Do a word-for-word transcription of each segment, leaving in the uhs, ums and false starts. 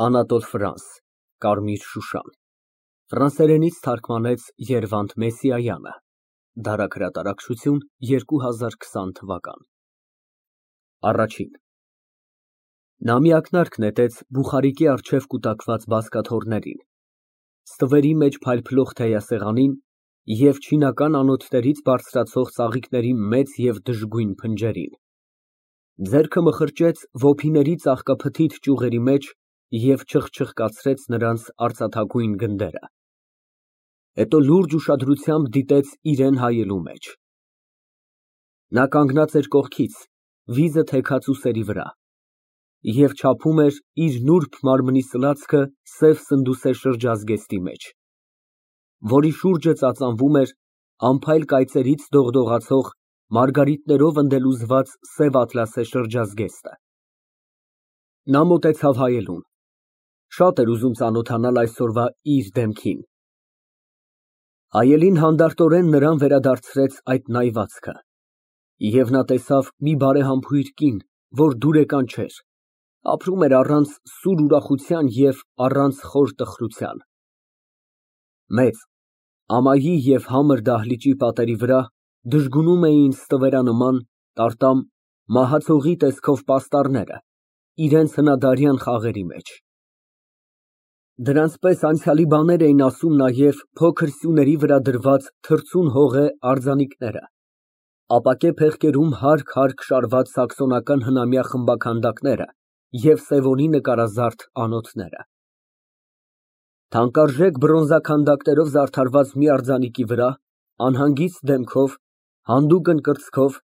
Անատոլ Ֆրանս, Կարմիր շուշան, ֆրանսերենից թարգմանեց Երվանդ Մեսսիայանը, դարագրատարակչություն երկու հազար քսան թվական։ Նա մի ակնարկ նետեց բուխարիկի առջև կուտակված բազկաթոռներին, ստվերի մեջ փայլփլող թեյասեղանին և չինական անոթներից բարձրացող ծաղիկների մեծ և դժգույն փնջերին, ձեռքը մխրճեց ոփիների ծաղկափթիթ ճյուղերի մեջ և չխչխկացրեց նրանց արծաթագույն գնդերը, հետո լուրջ ուշադրությամբ դիտեց իրան հայելու մեջ։ Նա կանգնած էր կողքից, վիզը թեքած ուսերի վրա, և չափում էր իր նուրբ մարմնի սլացքը սև սնդուսե շրջազգեստի մեջ, որի շուրջը ծածանվում էր անփայլ կայծերից դողդողացող մարգարիտներով ընդելուզված սև ատլասե շրջազգեստը։ Նա մոտեցավ հայելուն, շատ էր ուզում ծանոթանալ այսօրվա իր դեմքին։ Հայելին հանդարտորեն նրան վերադարձրեց այդ նայվածքը, և նա տեսավ մի բարեհամբույր կին, որ դուրեկան չէր, ապրում էր առանց սուր ուրախության և առանց խոր տխրության։ Մեծ, ամայի և համր դահլիճի պատերի վրա դժգունում էին ստվերանման, տարտամ, մահացողի տեսքով պաստառները իրենց հնադարյան խաղերի մեջ։ Դրանց պես անցյալի բաներ էին ասում նաև փոքր սյուների վրա դրված թռցուն հողե արձանիկները, ապակե փեղկերում հարկ֊հարկ շարված սաքսոնական հնամյա խմբաքանդակները և Սևոնի նկարազարդ անոթները։ Թանկարժեք բրոնզա քանդակներով զարդարված մի արձանիկի վրա, անհանգիստ դեմքով, հանդուգն կրծքով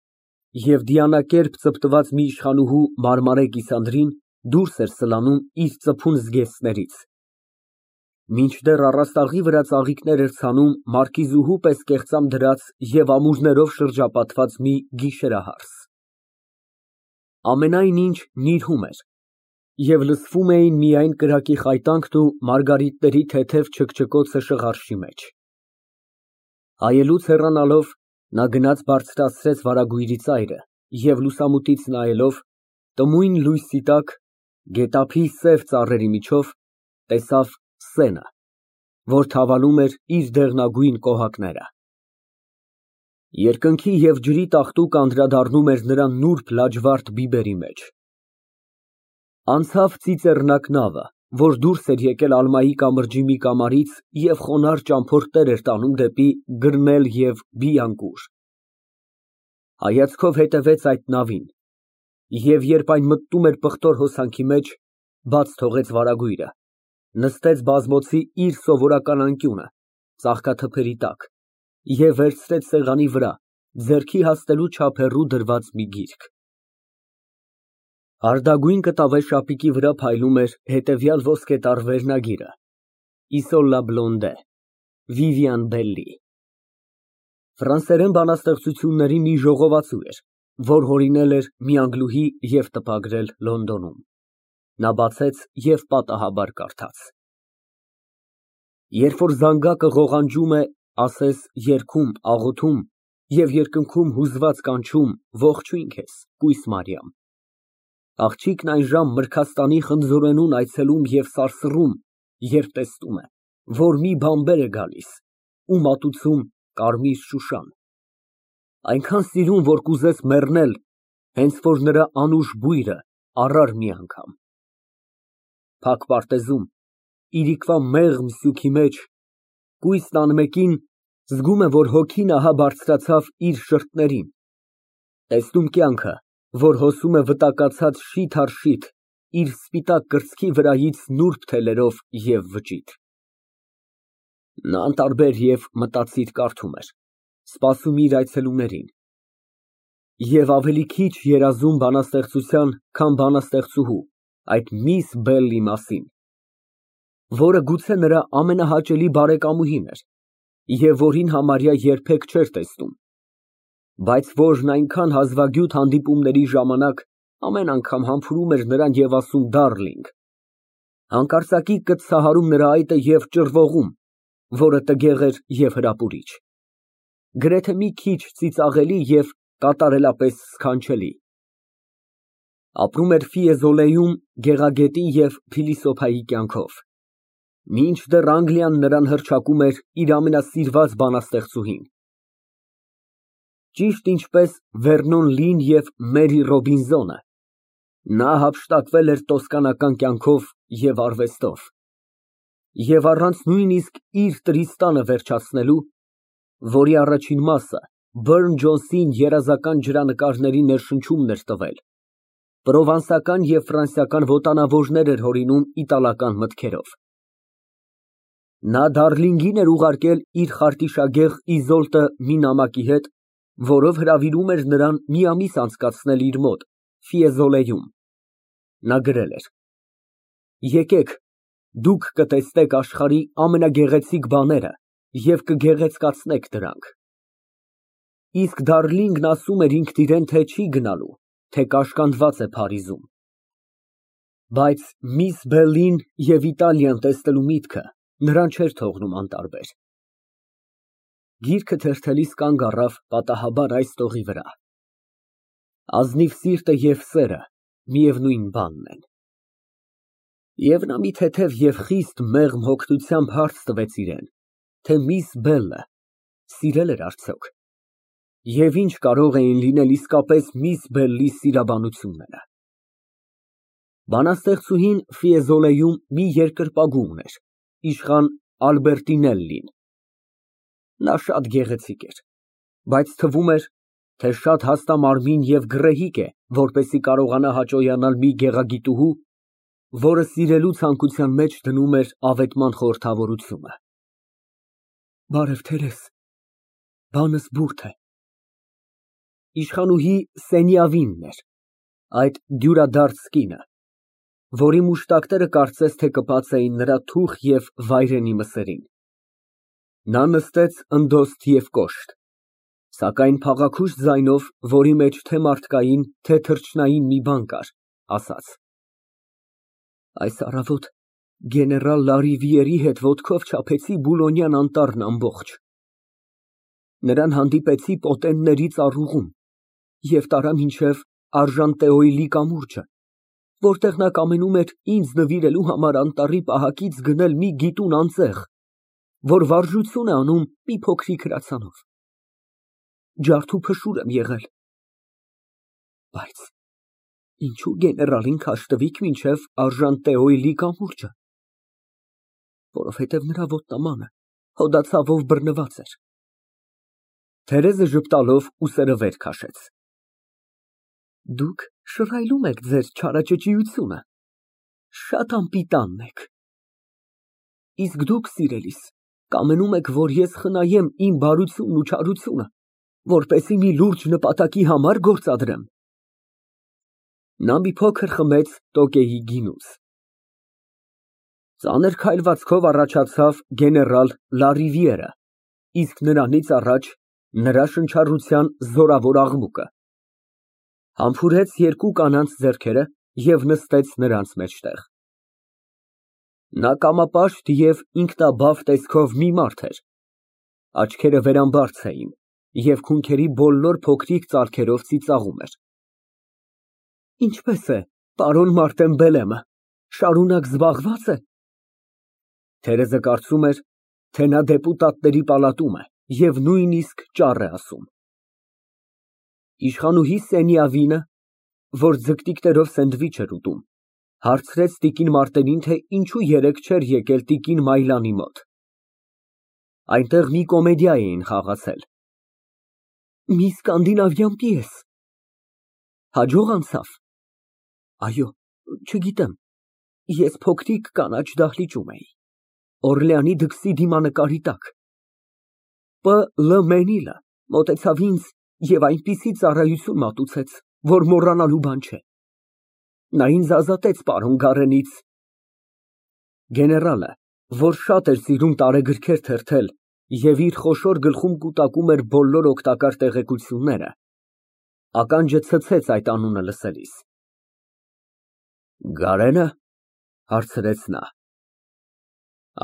և դիանակերպ ծպտված մի իշխանուհու մարմարե կիսանդրին դուրս էր սլանում իր ծփուն զգեստներից, մինչդեռ առաստաղի վրա ծաղիկներ էր ցանում մարկիզուհու պես կեղծամ դրած և ամուրներով շրջապատված մի գիշերահարս։ Ամենայն ինչ նիրհում էր, և լսվում էին միայն կրակի խայտանքն ու մարգարիտների թեթև չքչքոցը շղարշի մեջ։ Հայելուց հեռանալով, նա գնաց բարձրացրեց վարագույրի ծայրը և լուսամուտից նայելով, տմույն լույսի տակ, գետափի սև ծառերի միջով, տեսավ սենը, որ թավալում էր իր դեղնագույն կոհակները։ Երկնքի և ջրի տաղտուկ անդրադառնում էր նրա նուրբ լաջվարդ բիբերի մեջ։ Անցավ ծիծեռնակ նավը, որ դուրս էր եկել Ալմայի կամրջի մի կամարից և խոնարհ ճամփորդներ էր տանում դեպի Գրնել և Բիյանկուր։ Հայացքով հետևեց այդ նավին և, երբ այն մտնում էր պղտոր հոսանքի մեջ, բաց թողեց վարագույրը, նստեց բազմոցի իր սովորական անկյունը, ծաղկաթփերի տակ, և վերցրեց սեղանի վրա ձեռքի հասնելու չափ հեռու դրված մի գիրք։ Հարդագույն կտավե շապիկի վրա փայլում էր հետևյալ ոսկետառ վերնագիրը. Իսոլա Բլոնդե, Վիվիան Բելլի։ Ֆրանսերեն բանաստեղծությունների մի ժողովածու էր, որ հորինել էր մի անգլուհի և տպագրել Լոնդոնում։ Նա բացեց և պատահաբար կարդաց. Երբ որ զանգակը ղողանջում է, ասես երգում, աղոթում և երկնքում հուզված կանչում, ողջույն քեզ, կույս Մարիամ, աղջիկն այժմ Մրգաստանի խնձորենուն այցելում և սարսռում, երբ տեսնում է, որ մի բանբեր է գալիս ու մատուցում կարմիր շուշան, այնքան սիրուն, որ կուզես մեռնել, հենց որ նրա անուշ բույրը առար մի անգամ։ Փակ պարտեզում, իրիկվա մեղմ սյուքի մեջ, կույսն անմեկին զգում է, որ հոգին ահա բարձրացավ իր շրթերին, տեսնում կյանքը, որ հոսում է վտակացած շիթ առ շիթ իր սպիտակ կրծքի վրայից նուրբ թելերով և վճիտ։ Նա անտարբեր և մտածիր կարդում էր, սպասում իր այցելուներին և ավելի քիչ երազում բանաստեղծության, քան բանաստեղծուհու, այդ միս Բելլի մասին, որը գուցե նրա ամենահաճելի բարեկամուհին էր և որին համարյա երբեք չէր տեսնում, բայց որն այնքան հազվագյուտ հանդիպումների ժամանակ ամեն անգամ համբուրում էր նրան և ասում դառլինգ, հանկարծակի կծթահարում նրա այտը և ճռվողում, որը տգեղ էր և հրապուրիչ, գրեթե մի քիչ ծիծաղելի և կատարելապես սքանչելի։ Ապրում էր Ֆիեզոլեում գեղագետի և փիլիսոփայի կյանքով, մինչդեռ Անգլիան նրան հռչակում էր իր ամենասիրված բանաստեղծուհին։ Ճիշտ ինչպես Վերնոն Լին և Մերի Ռոբինզոնը, նա հափշտակվել էր տոսկանական կյանքով և արվեստով, և առանց նույնիսկ իր Տրիստանը վերջացնելու, որի առաջին մասը Բըրն Ջոնսին երազական ջրանկարների ներշնչումն էր տվել, պրովանսական և ֆրանսիական ոտանավորներ էր հորինում իտալական մտքերով։ Նա Դարլինգին էր ուղարկել իր խարտիշագեղ Իզոլտը մի նամակի հետ, որով հրավիրում էր նրան մի ամիս անցկացնել իր մոտ Ֆիեզոլեում։ Նա գրել էր. «Եկեք, դուք կտեսնեք աշխարհի ամենագեղեցիկ բաները և կգեղեցկացնեք դրանք»։ Իսկ Դարլինգն ասում էր ինքն իրան, թե չի գնալու, թե կաշկանդված է Փարիզում։ Բայց միս Բելլին և Իտալիան տեսնելու միտքը նրան չէր թողնում անտարբեր։ Գիրքը թերթելիս կանգ առավ պատահաբար այս տողի վրա. «Ազնիվ սիրտը և սերը միևնույն բանն են»։ Եվ նա մի թեթև և խիստ մեղմ հոգնությամբ հարց տվեց իրան, թե միս Բելլը սիրել էր արդյոք, և ինչ կարող էին լինել իսկապես միս Բելլի սիրաբանությունները։ Բանաստեղծուհին Ֆիեզոլեում մի երկրպագու ուներ, իշխան Ալբերտինելլին։ Նա շատ գեղեցիկ էր, բայց թվում էր, թե շատ հաստամարմին և գռեհիկ է, որպեսզի կարողանա հաճոյանալ մի գեղագիտուհու, որը սիրելու ցանկության մեջ դնում էր ավետման խորհրդավորությունը։ Բարև, տերես, բանս բուրդ է։ Իշխանուհի Սենյավինն էր, այդ դյուրադարձ կինը, որի մուշտակները կարծես թե կպած էին նրա թուխ և վայրենի մսերին։ Նա նստեց ընդոստ և կոշտ, սակայն փաղաքուշ ձայնով, որի մեջ թե մարդկային, թե թռչնային մի բան կար, ասաց. «Այս առավոտ գեներալ Լարիվիերի հետ ոտքով չափեցի Բուլոնյան անտառն ամբողջ։ Նրան հանդիպեցի պոտենների ծառուղում և տարա մինչև Արժանտեոյլի կամուրջը, որտեղ նա կամենում էր ինձ նվիրելու համար անտառի պահակից գնել մի գիտուն անձեղ, որ վարժություն է անում մի փոքրիկ հրացանով։ Ջարդ ու փշուր եմ եղել։ Բայց ինչո՞ւ գեներալին քաշտվիկ մինչև Արժանտեոյլի կամուրջը։ Որովհետև նրա ոտնամանը հոդացավով բռնված էր»։ Թերեզը ժպտալով ուսերը վեր քաշեց։ «Դուք շռայլում եք ձեր չարաճճիությունը, շատ անպիտանն եք։ Իսկ դուք, սիրելիս, կամենում եք, որ ես խնայեմ իմ բարությունն ու չարությունը, որպեսզի մի լուրջ նպատակի համար գործադրեմ»։ Նա մի փոքր խմեց տոկեի գինուց։ Ծանր քայլվածքով առաջացավ գեներալ Լարիվիերը, իսկ նրանից առաջ նրա շնչառության զորավոր աղմուկը։ Համբուրեց երկու կանանց ձեռքերը և նստեց նրանց մեջտեղ։ Նա կամապաշտ և ինքնաբավ տեսքով մի մարդ էր, աչքերը վերամբարձ էին և քունքերի բոլոր փոքրիկ ծալքերով ծիծաղում էր։ Ինչպե՞ս է պարոն Մարտեն Բելեմը, շարունակ զբաղվա՞ծ է։ Թերեզը կարծում էր, թե նա դեպուտատների պալատում է և նույնիսկ ճառ է ասում։ Իշխանուհի Սենյավինը, որ ձգտիկներով սենդվիչ էր ուտում, հարցրեց տիկին Մարտենին, թե ինչու երեկ չէր եկել տիկին Մայլանի մոտ։ Այնտեղ մի կոմեդիա էին խաղացել։ Մի սկանդինավյան պիես։ Հաջող անցա՞վ։ Այո, չգիտեմ, ես փոքրիկ կանաչ դահլիճում էի, Օրլեանի դքսի դիմանկարի տակ։ Պ. Լ. Մենիլը մոտեցավ ինձ և այնպիսի ծառայություն մատուցեց, որ մոռանալու բան չէ։ Նա ինձ ազատեց պարոն Գարենից։ Գեներալը, որ շատ էր սիրում տարեգրքեր թերթել և իր խոշոր գլխում կուտակում էր բոլոր օգտակար տեղեկությունները, ականջը ցցեց այդ անունը լսելիս։ Գարե՞նը, հարցրեց նա։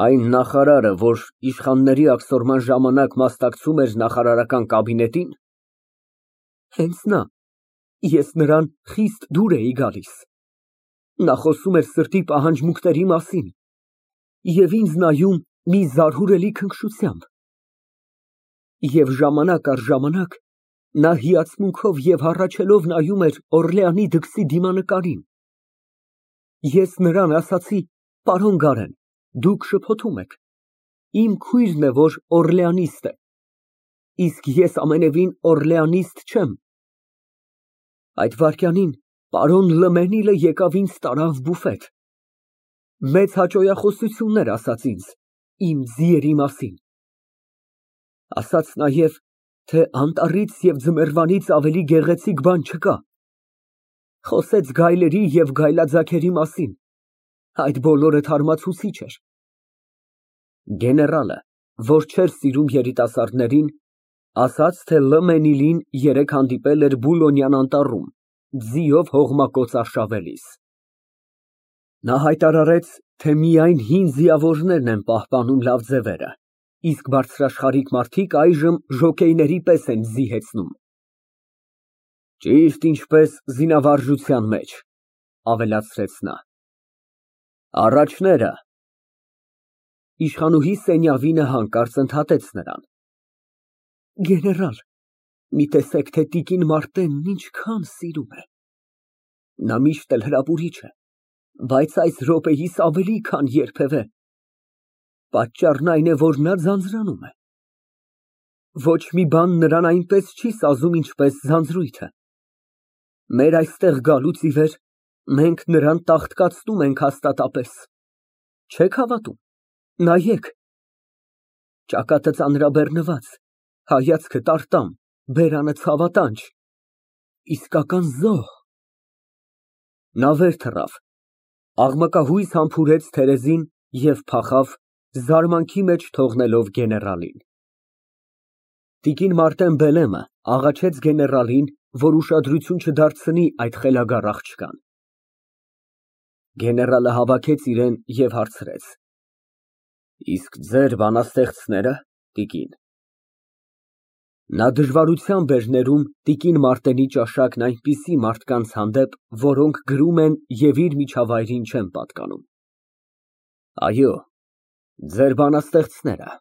Այն նախարարը, որ իշխանների աքսորման ժամանակ մասնակցում էր նախարարական կաբինետի՞ն։ Հենց նա։ Ես նրան խիստ դուր էի գալիս։ Նա խոսում էր սրտի պահանջմունքների մասին և ինձ նայում մի զարհուրելի քնքշությամբ։ Եվ ժամանակ առ ժամանակ նա հիացմունքով և հառաչելով նայում էր Օռլեանի դքսի դիմանկարին։ Ես նրան ասացի. «Պարոն Գարեն, դուք շփոթում եք, իմ քույրն է, որ օրլեանիստ է, իսկ ես ամենևին օրլեանիստ չեմ»։ Այդ վայրկյանին պարոն Լըմենիլը եկավ ինձ տարավ բուֆետ, մեծ հաճոյախոսություններ ասաց ինձ իմ ձիերի մասին, ասաց նաև, թե անտառից և ձմեռվանից ավելի գեղեցիկ բան չկա, խոսեց գայլերի և գայլաձագերի մասին, այդ բոլորը թարմացուցիչ էր։ Գեներալը, որ չէր սիրում երիտասարդներին, ասաց, թե Լըմենիլին երեկ հանդիպել էր Բուլոնյան անտառում, ձիով հողմակոծ արշավելիս։ Նա հայտարարեց, թե միայն հին ձիավորներն են պահպանում լավ ձևերը, իսկ բարձրաշխարհիկ մարդիկ այժմ ժոկեյների պես են ձի հեծնում։ Ճիշտ ինչպես զինավարժության մեջ, ավելացրեց նա։ Առաջները։ Իշխանուհի Սենյավինը հանկարծ ընդհատեց նրան. Գեներալ, մի տեսեք, թե տիկին Մարտենն ինչքան սիրում է։ Նա միշտ էլ հրապուրիչ է, բայց այս րոպեիս ավելի քան երբևէ։ Պատճառն այն է, որ նա ձանձրանում է։ Ոչ մի բան նրան այնպես չի սազում, ինչպես ձանձրույթը։ Մեր այստեղ գալուց ի վեր մենք նրան տաղտկացնում ենք հաստատապես։ Չեք հավատում, նայեք։ Ճակատը ծանրաբեռնված, հայացքը տարտամ, բերանը ցավատանչ, իսկական զոհ։ Նա վեր թռավ, աղմկահույս համբուրեց թերեզին և փախավ, զարմանքի մեջ թողնելով գեներալին։ Տիկին Մարտեն Բելեմը աղաչեց գեներալին, որ ուշադրություն չդարձնի այդ խելագար աղջկան։ Գեներալը հավաքեց իրեն և հարցրեց. Իսկ ձեր բանաստեղծները, տիկին։ Նա դժվարությամբ էր ներում տիկին Մարտենի ճաշակն այնպիսի մարդկանց հանդեպ, որոնք գրում են և իր միջավայրին չեն պատկանում։ Այո, ձեր բանաստեղծները։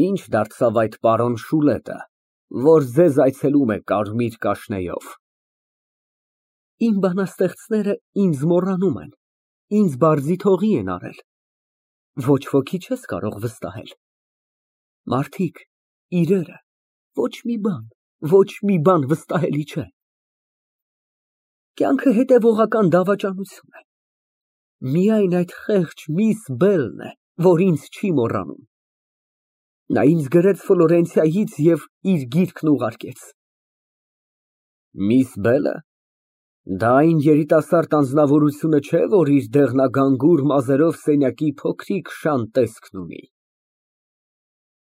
Ինչ դարձավ այդ պարոն Շուլետը, որ ձեզ այցելում է կարմիր կաշնեյով։ Իմ բանաստեղծները ինձ մոռանում են, ինձ բարձիթողի են արել, ոչ ոքի չես կարող վստահել։ Մարդիկ, իրերը, ոչ մի բան, ոչ մի բան վստահելի չէ։ Կյանքը հետևողական դավաճանություն է։ Միայն այդ խեղճ միս Բելն է, որ ինձ չի մոռանում։ Նա ինձ գրեց Ֆլորենցիայից և իր գիրքն ուղարկեց։ Միս Բելը։ Դա այն երիտասարդ անձնավորությունը չէ, որ իր դեղնագանգուր մազերով սենյակի փոքրիկ շան տեսքն ունի։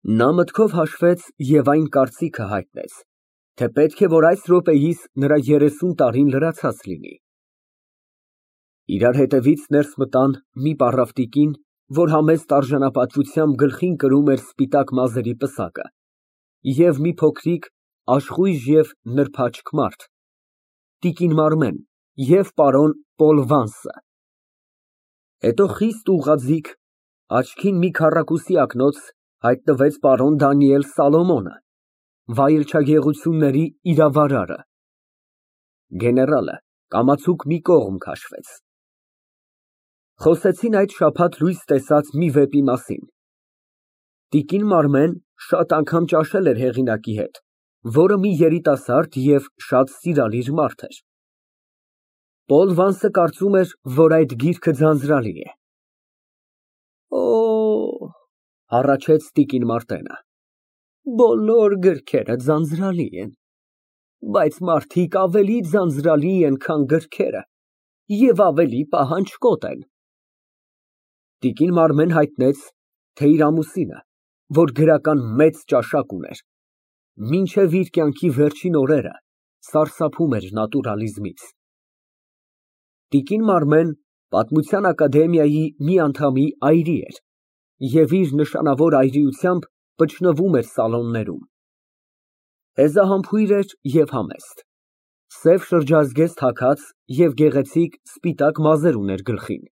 Նա մտքով հաշվեց և այն կարծիքը հայտնեց, թե պետք է, որ այս րոպեիս նրա երեսուն տարին լրացած լինի։ Իրար հետևից ներս մտան մի պառավ տիկին, որ համեստ արժանապատվությամբ գլխին կրում էր սպիտակ մազերի պսակը, և մի փոքրիկ, աշխույժ և նրբաճք մարդ, տիկին Մարմեն և պարոն Պոլ Վանսը։ Հետո խիստ ուղղաձիգ, աչքին մի քառակուսի ակնոց հայտնվեց պարոն Դանիել Սալոմոնը, վայելչագեղությունների իրավարարը։ Գեներալը կամացուկ մի կողմ քաշվեց։ Խոսեցին այդ շաբաթ լույս տեսած մի վեպի մասին։ Տիկին Մարմեն շատ անգամ ճաշել էր հեղինակի հետ, որը մի երիտասարդ և շատ սիրալիր մարդ էր։ Պոլ Վանսը կարծում էր, որ այդ գիրքը ձանձրալի է։ Օ, հառաչեց տիկին Մարտենը, բոլոր գրքերը ձանձրալի են, բայց մարդիկ ավելի ձանձրալի են, քան գրքերը և ավելի պահանջկոտ են։ Տիկին Մարմեն հայտնեց, թե իր ամուսինը, որ գրական մեծ ճաշակ ուներ, մինչև իր կյանքի վերջին օրերը սարսափում էր նատուրալիզմից։ Տիկին Մարմեն Պատմության ակադեմիայի մի անդամի այրի էր և իր նշանավոր այրիությամբ պճնվում էր սալոններում։ Հեզահամբույր էր և համեստ։ Սև շրջազգեստ հագած և գեղեցիկ սպիտակ մազեր ուներ գլխին։